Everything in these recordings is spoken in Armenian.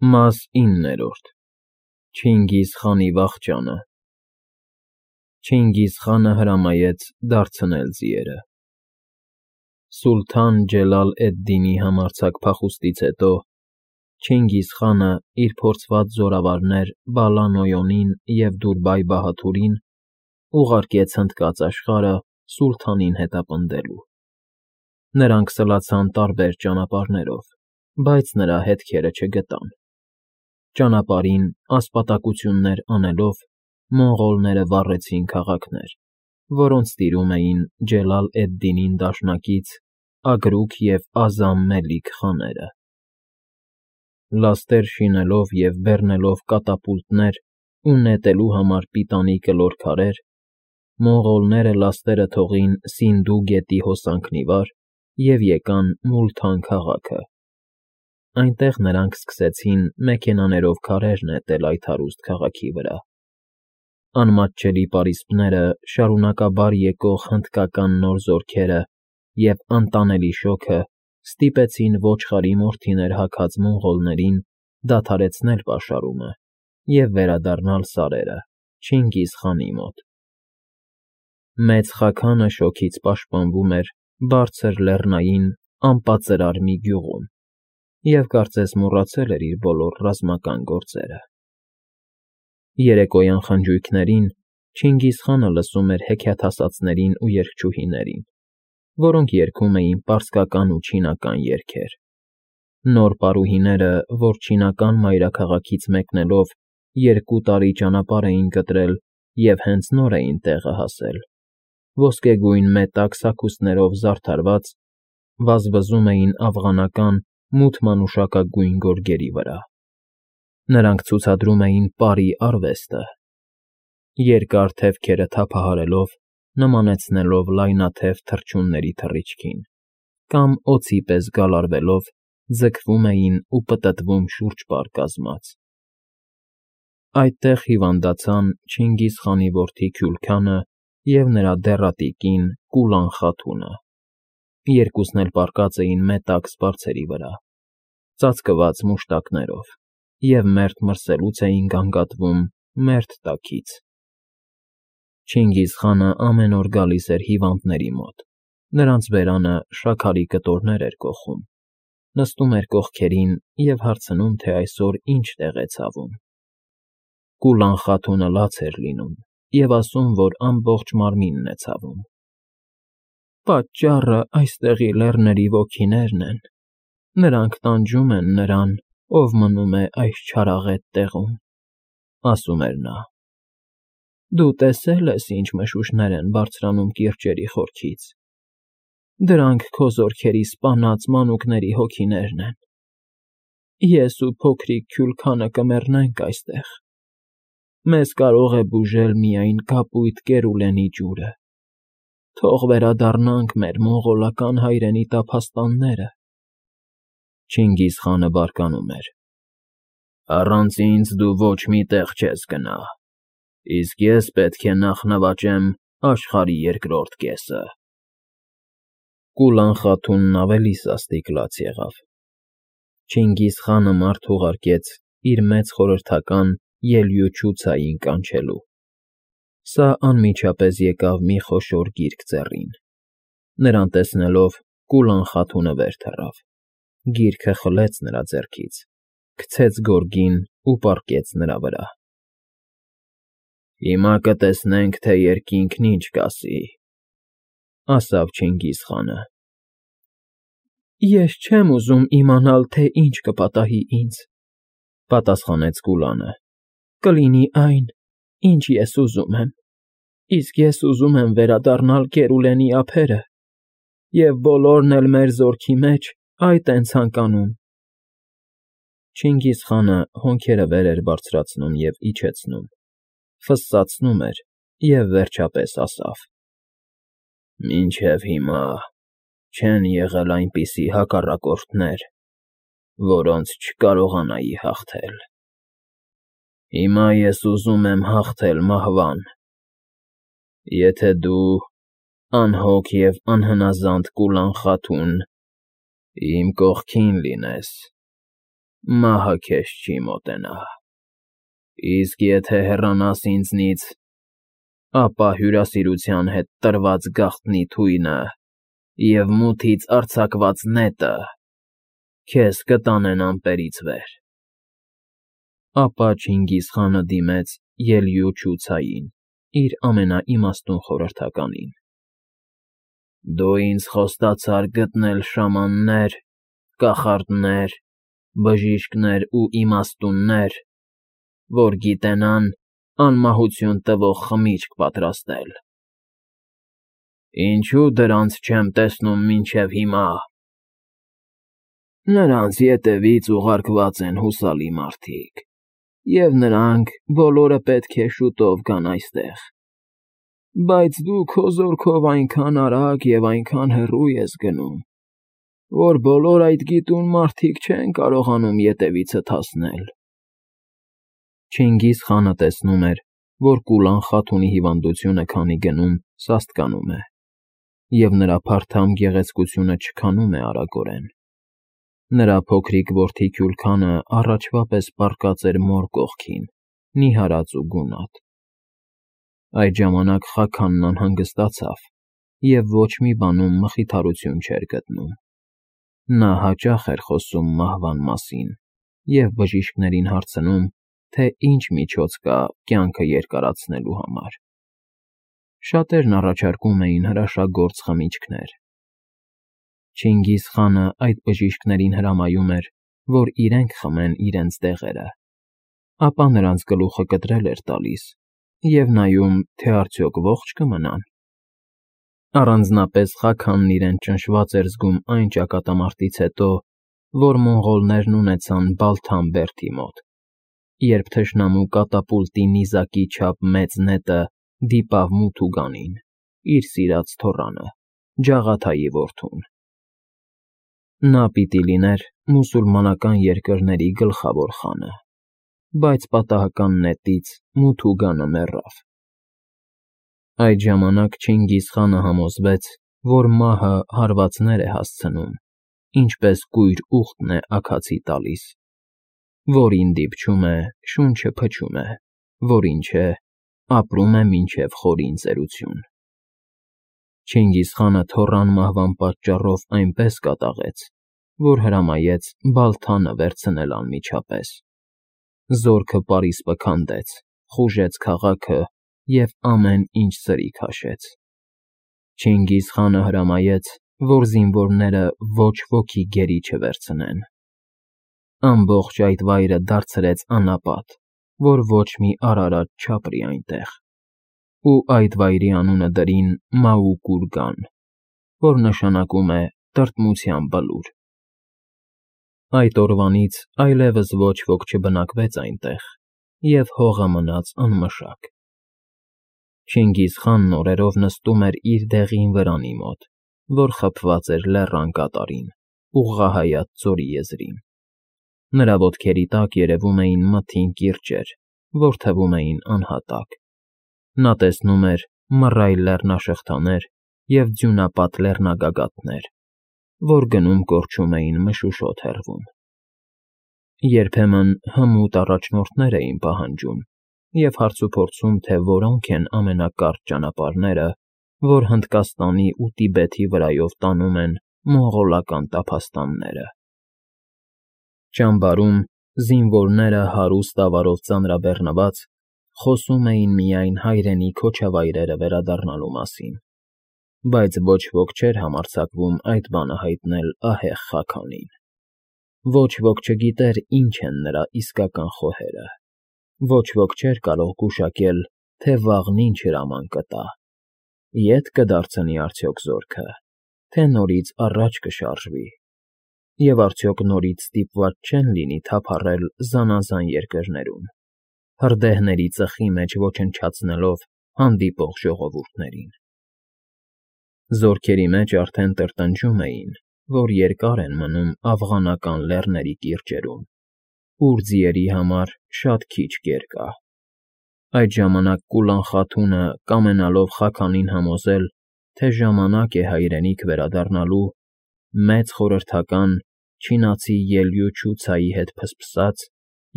Մաս 9 Չինգիզ խանի վախճանը Չինգիզ խանը հրամայեց դարձնել ձիերը։ Սուլթան Ջելալ էդ-Դինի համարձակ փախուստից հետո Չինգիզ խանը իր փորձված զորավարներ Բալա-Նոյոնին և Դուրբայ֊Բահադուրին ուղարկեց հնդկած աշխարհը սուլթանին հետապնդելու։ Նրանք սլացան տարբեր ճանապարհներով, բայց նրա հետքերը չգտան։ Ճանապարհին ասպատակություններ անելով մոնղոլները վառեցին քաղաքներ, որոնց տիրում էին Ջելալ էդ-Դինին դաշնակից Ագրուկ և Ազամ Մելիք խաները։ Լաստեր շինելով և բեռնելով կատապուլտներ ու նետելու համար պիտանի կլոր քարեր, մոնղոլները լաստերը թողին Սինդու գետի հոսանքն ի վար և եկան Մուլթան քաղաքը։ Այնտեղ նրանք սկսեցին մեքենաներով քարեր նետել այդ հարուստ քաղաքի վրա։ Անմատչելի պարիսպները շարունակաբար եկող հնդկական նոր զորքերը և անտանելի շոգը ստիպեցին ոչխարի մորթիներ հագած մոնղոլներին դադարեցնել պաշարումը և վերադառնալ սարերը Չինգիզ խանի մոտ։ Մեծ Խաքանը շոգից պաշտպանվում էր բարձր լեռնային անպատծրար մի գյուղում և կարծես մոռացել էր իր բոլոր ռազմական գործերը։ Երեկոյան խնջույքներին Չինգիզ խանը լսում էր հեքիաթասացներին ու երգչուհիներին, որոնք երգում էին պարսկական ու չինական երգեր։ Նոր պարուհիները, որ չինական մայրաքաղաքից մեկնելով 2 տարի ճանապարհ էին կտրել և հենց նոր էին տեղը հասել, ոսկեգույն մետակ սաքուսներով զարդարված, վազվզում էին աֆղանական մութ մանուշակագույն գորգերի վրա։ Նրանք ցուցադրում էին պարի արվեստը, երկար թևքերը թափահարելով, նմանեցնելով լայնաթև թռչունների թռիչքին, կամ օձի պես գալարվելով ձգվում էին ու պտտվում շուրջպար կազմած։ Այդտեղ հիվանդացան Չինգիզ խանի որդի Քյուլքանը և նրա դեռատի կին Կուլան խաթունը։ Երկուսն էլ պառկած էին մետակ սպարձերի վրա, ծածկված մուշտակներով, և մերթ մրսելուց էին գանգատվում մերթ տաքից։ Չինգիզ խանը ամեն օր գալիս էր հիվանդների մոտ, նրանց բերանը շաքարի կտորներ էր կոխում, նստում էր կողքերին և հարցնում, թե այսօր ինչ տեղ է ցավում։ Կուլան խաթունը լաց էր լինում և ասում, որ ամբողջ մարմինն է ցավում։ Պատճառը այստեղի լեռների ոգիներն են, նրանք տանջում են նրան, ով մնում է այս չարաղետ տեղում, ասում էր նա։ Դու տեսել ես, ինչ մշուշներ են բարձրանում կիրճերի խորքից։ Դրանք քո զորքերի սպանած մանուկների հոգիներն են։ Ես ու փոքրիկ Քյուլքանը կմեռնենք այստեղ։ Մեզ կարող է բուժել միայն կապույտ Կերուլենի ջուրը։ Թող վերադառնանք մեր մոնղոլական հայրենի տափաստանները։ Չինգիզ խանը բարկանում էր. Առանց ինձ դու ոչ մի տեղ չես գնա, իսկ ես պետք է նախ նվաճեմ աշխարհի երկրորդ կեսը։ Կուլան խաթունն ավելի սաստիկ լաց եղավ։ Չինգիզ խանը մարդ ուղարկեց իր մեծ խորհրդական Ելյուչուցային կանչելու։ Սա անմիջապես եկավ մի խոշոր գիրք ձեռին։ Նրան տեսնելով Կուլան խաթունը վեր թռավ, գիրքը խլեց նրա ձեռքից, գցեց գորգին ու պառկեց նրա վրա։ Հիմա կտեսնենք, թե երկինքն ինչ կասի, ասաց Չինգիզ խանը։ Ես չեմ ուզում իմանալ, թե ինչ կպատահի ինձ, պատասխանեց Կուլանը։ Կլինի այն, ինչ ես ուզում եմ, իսկ ես ուզում եմ վերադառնալ Կերուլենի ափերը, և բոլորն էլ մեր զորքի մեջ այդ են ցանկանում։ Չինգիզ խանը հոնքերը վեր էր բարձրացնում և իջեցնում, ֆսսացնում էր և վերջապես ասավ. Մինչև հիմա չեն եղել այնպիսի հակառակորդներ, որոնց չկարողանայի հաղթել։ Հիմա ես ուզում եմ հաղթել մահվան։ Եթե դու, անհոգ և անհնազանդ Կուլան խաթուն, իմ կողքին լինես, մահը քեզ չի մոտենա։ Իսկ եթե հեռանաս ինձնից, ապա հյուրասիրության հետ տրված գաղտնի թույնը և մութից արձակված նետը քեզ կտանեն ամպերից վեր։ Ապա Չինգիզխանը դիմեց ելյուչուցային, իր ամենաիմաստուն խորհրդականին. Դու ինձ խոստացար գտնել շամաններ, կախարդներ, բժիշկներ ու իմաստուններ, որ գիտենան անմահություն տվող խմիչք պատրաստել։ Ինչու դրանց չեմ տեսնում մինչև հիմա։ Նրանց ետևից ուղարկված են հուսալի մարդիկ, և նրանք բոլորը պետք է շուտով գան այստեղ։ Բայց դու քո զորքով այնքան արագ և այնքան հեռու ես գնում, որ բոլոր այդ գիտուն մարդիկ չեն կարողանում ետևիցդ հասնել։ Չինգիզխանը տեսնում էր, որ Կուլան Խաթունի հիվանդությունը քանի գնում սաստկանում է, և նրա փարթամ գեղեցկությունը չքանում է արագորեն։ Նրա փոքրիկ որդի Քյուրքանը առաջվա պես պառկած էր մոր կողքին, նիհարած ու գունատ։ Այդ ժամանակ Խաքանն անհանգստացավ և ոչ մի բանում մխիթարություն չէր գտնում։ Նա հաճախ էր խոսում մահվան մասին և բժիշկներին հարցնում, թե ինչ միջոց կա կյանքը երկարացնելու համար։ Շատերն առաջարկում էին հրաշագործ խմիչքներ։ Չինգիզխանը այդ բժիշկներին հրամայում էր, որ իրենք խմեն իրենց դեղերը, ապա նրանց գլուխը կտրել էր տալիս և նայում, թե արդյոք ողջ կմնան։ Առանձնապես Խաքանն իրեն ճնշված էր զգում այն ճակատամարտից հետո, որ մոնղոլներն ունեցան Բալթան բերդի մոտ, երբ թշնամու կատապուլտի նիզակի չափ մեծ նետը դիպավ Մութուգանին, իր սիրած թոռանը, Ջաղաթայի որդուն։ Նա պիտի լիներ մուսուլմանական երկրների գլխավոր խանը, բայց պատահական նետից Մութուգանը մեռավ։ Այդ ժամանակ Չինգիզխանը համոզվեց, որ մահը հարվածներ է հասցնում, ինչպես կույր ուղտն է աքացի տալիս, որին դիպչում է, շունչը փչում է, որին չէ, ապրում է մինչև խորին ծերություն։ Չինգիզխանը թոռան մահվան պատճառով այնպես կատաղեց, որ հրամայեց Բալթանը վերցնել անմիջապես։ Զորքը պարիսպը քանդեց, խուժեց քաղաքը և ամեն ինչ սրի քաշեց։ Չինգիզխանը հրամայեց, որ զինվորները ոչ ոքի գերի չվերցնեն։ Ամբողջ այդ վայրը դարձրեց անապատ, որ ոչ մի արարած չապրի այնտեղ, ու այդ վայրի անունը դրին Մաուկուրգան, որ նշանակում է տրտմության բլուր։ Այդ օրվանից այլևս ոչ ոք չբնակվեց այնտեղ, և հողը մնաց անմշակ։ Չինգիզխանն օրերով նստում էր իր դեղին վրանի մոտ, որ խփված էր լեռան կատարին, ուղղահայաց ձորի եզրին։ Նրա ոտքերի տակ երևում էին մթին կիրճեր, որ թվում էին անհատակ։ Նա տեսնում էր մռայլ լեռնաշղթաներ և ձյունապատ լեռնագագաթներ, որ գնում կորչում էին մշուշոտ հեռվում։ Երբեմն հմուտ առաջնորդներ էին պահանջում և հարցուփորձում, թե որոնք են ամենակարճ ճանապարհները, որ Հնդկաստանի ու Տիբեթի վրայով տանում են մոնղոլական տափաստանները։ Ճամբարում զինվորները հարուստ ավարով ծանրաբեռնված խոսում էին միայն հայրենի քոչավայրերը վերադառնալու մասին, բայց ոչ ոք չէր համարձակվում այդ բանը հայտնել ահեղ Խաքանին։ Ոչ ոք չգիտեր ինչ են նրա իսկական խոհերը։ Ոչ ոք չէր կարող գուշակել, թե վաղն ինչ հրաման կտա. ետ կդարձնի արդյոք զորքը, թե նորից առաջ կշարժվի, և արդյոք նորից ստիպված չեն լինի թափառել զանազան երկրներում, հրդեհների ծխի մեջ ոչնչացնելով հանդիպող ժողովուրդներին։ Զորքերի մեջ արդեն տրտնջում էին, որ երկար են մնում աֆղանական լեռների կիրճերում, ուր ձիերի համար շատ քիչ կեր կա։ Այդ ժամանակ Կուլան Խաթունը, կամենալով Խաքանին համոզել, թե ժամանակ է հայրենիք վերադառնալու, մեծ խորհրդական չինացի Ելյուչուցայի հետ փսփսաց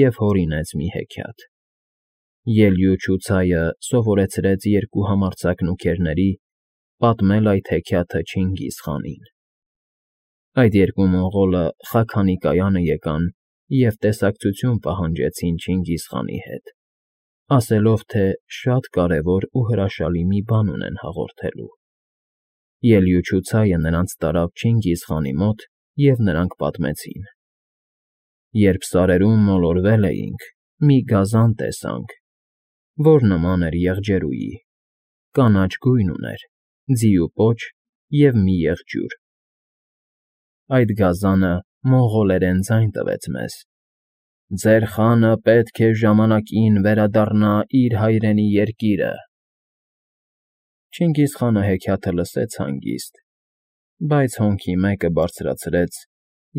և հորինեց մի հեքիաթ։ Ելյուչուցայը սովորեցրեց երկու համարձակ նուքերների պատմել այդ հեքիաթը Չինգիզ խանին։ Այդ երկու մոնղոլը Խաքանի կայանը եկան և տեսակցություն պահանջեցին Չինգիզ խանի հետ, ասելով, թե շատ կարևոր ու հրաշալի մի բան ունեն հաղորդելու։ Ելյուչուցայը նրանց տարավ Չինգիզ խանի մոտ, և նրանք պատմեցին. Երբ սարերում մոլորվել էինք, մի գազան տեսանք, որ նման էր եղջերուի, կանաչ գույն ուներ, ձիու պոչ և մի եղջյուր։ Այդ գազանը մոնղոլերեն ձայն տվեց մեզ. «Ձեր խանը պետք է ժամանակին վերադառնա իր հայրենի երկիրը»։ Չինգիզխանը հեքիաթը լսեց հանգիստ, բայց հոնքի մեկը բարձրացրեց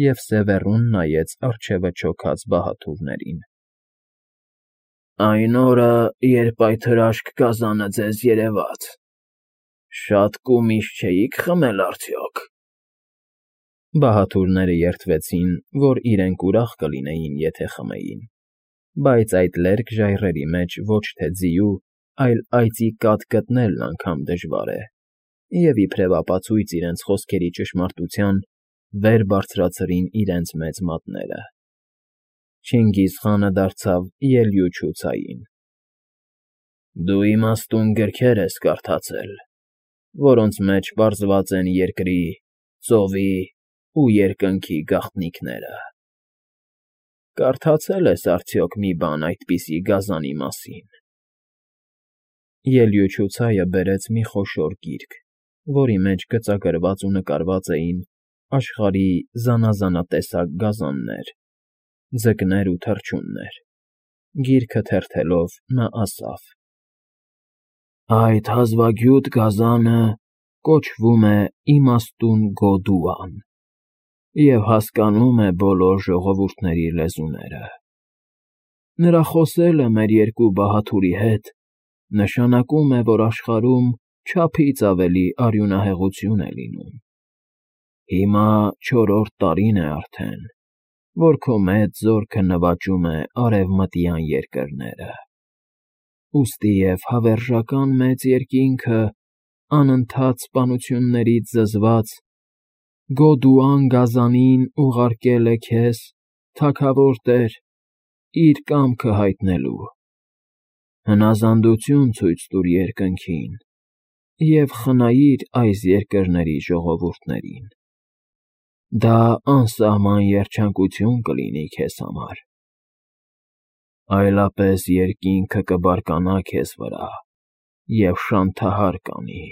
և սևեռուն նայեց առջևը չոքած բահաթուրներին։ «Այն օրը, երբ այդ հրաշք գազանը ձեզ երևաց, շատ կումիշ չէի՞ք խմել արդյոք»։ Բահաթուրները երդվեցին, որ իրենք ուրախ կլինեին, եթե խմեին, բայց այդ լերկ ժայռերի մեջ ոչ թե ձիու, այլ այծի կաթ գտնելն անգամ դժվար է, և իբրև ապացույց իրենց խոսքերի ճշմարտության, վեր բարձրացրին իրենց մեծ մատները։ Չինգիզխանը դարձավ Ելյուչուցային. «Դու իմաստուն գրքեր ես կարդացել, որոնց մեջ պարզված են երկրի, ծովի ու երկնքի գաղտնիքները։ Կարդացե՞լ ես արդյոք մի բան այդպիսի գազանի մասին»։ Ելյուչուցայը բերեց մի խոշոր գիրք, որի մեջ գծագրված ու նկարված էին աշխարհի զանազանատեսակ գազաններ, ձկներ ու թռչուններ։ Գիրքը թերթելով նա ասավ. «Այդ հազվագյուտ գազանը կոչվում է Իմաստուն Գոդուան և հասկանում է բոլոր ժողովուրդների լեզուները։ Նրա խոսելը մեր երկու բահաթուրի հետ նշանակում է, որ աշխարհում չափից ավելի արյունահեղություն է լինում։ Հիմա 4-րդ տարին է արդեն, որ քո մեծ զորքը նվաճում է արևմտյան երկրները։ Ուստի և հավերժական մեծ երկինքը, անընդհատ սպանություններից զզված, Գոդուան գազանին ուղարկել է քեզ, թագավոր տեր, իր կամքը հայտնելու։ Հնազանդություն ցույց տուր երկնքին և խնայիր այս երկրների ժողովուրդներին։ Դա անսահման երջանկություն կլինի քեզ համար։ Այլապես երկինքը կբարկանա քեզ վրա և շանթահար կանի»։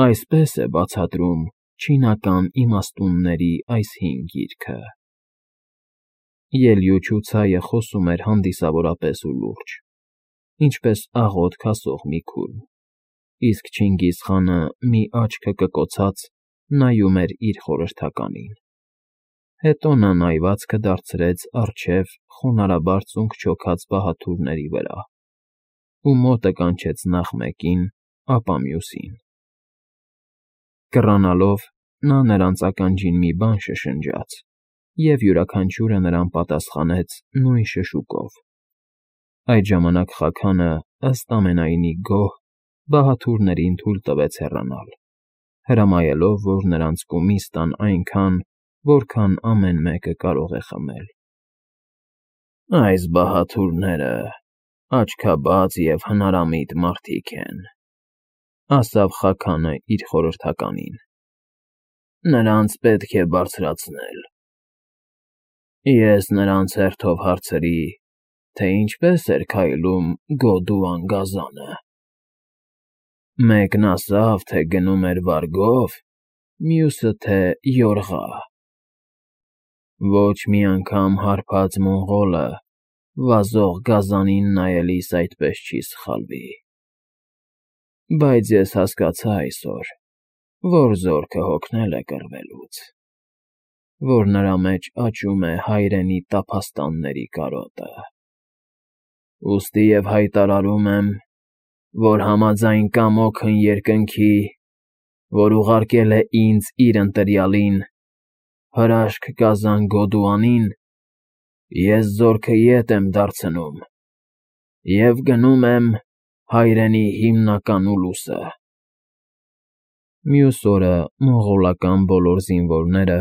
Այսպես է բացատրում չինական իմաստունների այս հին գիրքը։ Ելյուչուցայը խոսում էր հանդիսավորապես ու լուրջ, ինչպես աղոտ քասող մի քուրմ, իսկ Չինգիզխանը մի աչքը կկոցած նայում էր իր խորհրդականին։ Հետո նա նայվածքը դարձրեց առջև խոնարհաբար ծունկ չոքած բահաթուրների վրա ու մոտը կանչեց նախ մեկին, ապա մյուսին։ Կռանալով նա նրանց ականջին մի բան շշնջաց, և յուրաքանչյուրը նրան պատասխանեց նույն շշուկով։ Այդ ժամանակ Խաքանը, ըստ ամենայնի գոհ, բահաթուրներին թույլ տվեց հեռանալ, հրամայելով, որ նրանց կումիս տան այնքան, որքան ամեն մեկը կարող է խմել։ «Այս բահաթուրները աչքաբաց և հնարամիտ մարդիկ են», ասավ Խաքանը իր խորհրդականին։ «Նրանց պետք է բարձրացնել»։ Ես նրանց հերթով հարցրի, թե ինչպես էր քայլում Գոդուան գազանը։ Մեկն ասավ, թե գնում էր վարգով, մյուսը, թե յորղա։ Ոչ մի անգամ հարբած մոնղոլը վազող գազանին նայելիս այդպես չի սխալվի։ Բայց ես հասկացա այսօր, որ զորքը հոգնել է կռվելուց, որ նրա մեջ աճում է հայրենի տափաստանների կարոտը։ Ուստի և հայտարարում եմ, որ համաձայն կամոքն երկնքի, որ ուղարկել է ինձ իր ընտրյալին, Հրաշք կազան Գոդուանին, ես զորքը ետ եմ դարձնում և գնում եմ հայրենի հիմնական ուլուսը։ Մյուս օրը մոնղոլական բոլոր զինվորները,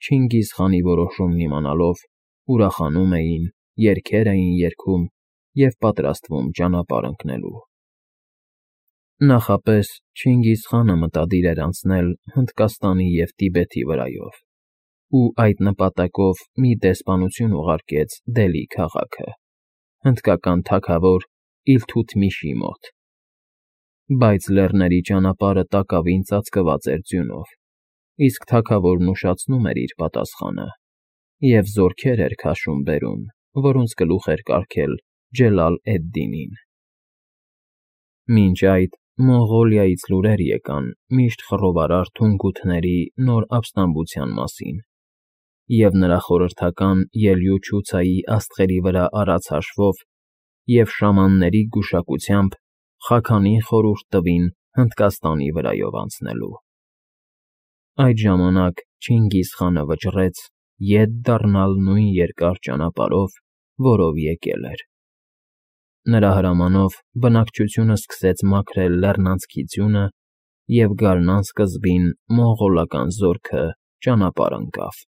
Չինգիզխանի որոշումն իմանալով, ուրախանում էին, երգեր էին երգում և պատրաստվում ճանապարհ ընկնելու։ Նախապես Չինգիզխանը մտադիր էր անցնել Հնդկաստանի և Տիբեթի վրայով ու այդ նպատակով մի դեսպանություն ուղարկեց Դելհի քաղաքը, հնդկական թագավոր Իլթութմիշի մոտ։ Բայց լեռների ճանապարհը տակավին ծածկված էր ձյունով, իսկ թագավորն ուշացնում էր իր պատասխանը և զորքեր էր քաշում բերում, որոնց գլուխ էր կարգել Ջելալ-էդ֊Դինին։ Մինչ այդ Մոնղոլիայից լուրեր եկան միշտ խռովարար թունգութների նոր ապստամբության մասին, և նրա խորհրդական Ելյուչուցայի աստղերի վրա արած հաշվով և շամանների գուշակությամբ Խաքանին խորհուրդ տվին Հնդկաստանի վրայով անցնելու։ Այդ ժամանակ Չինգիզխանը վճռեց ետ դառնալ նույն երկար ճանապարհով, որով եկել էր։ Նրա հրամանով բնակչությունը սկսեց մաքրել լեռնանցքի ձյունը, և գարնան սկզբին մոնղոլական զորքը ճանապարհ ընկավ։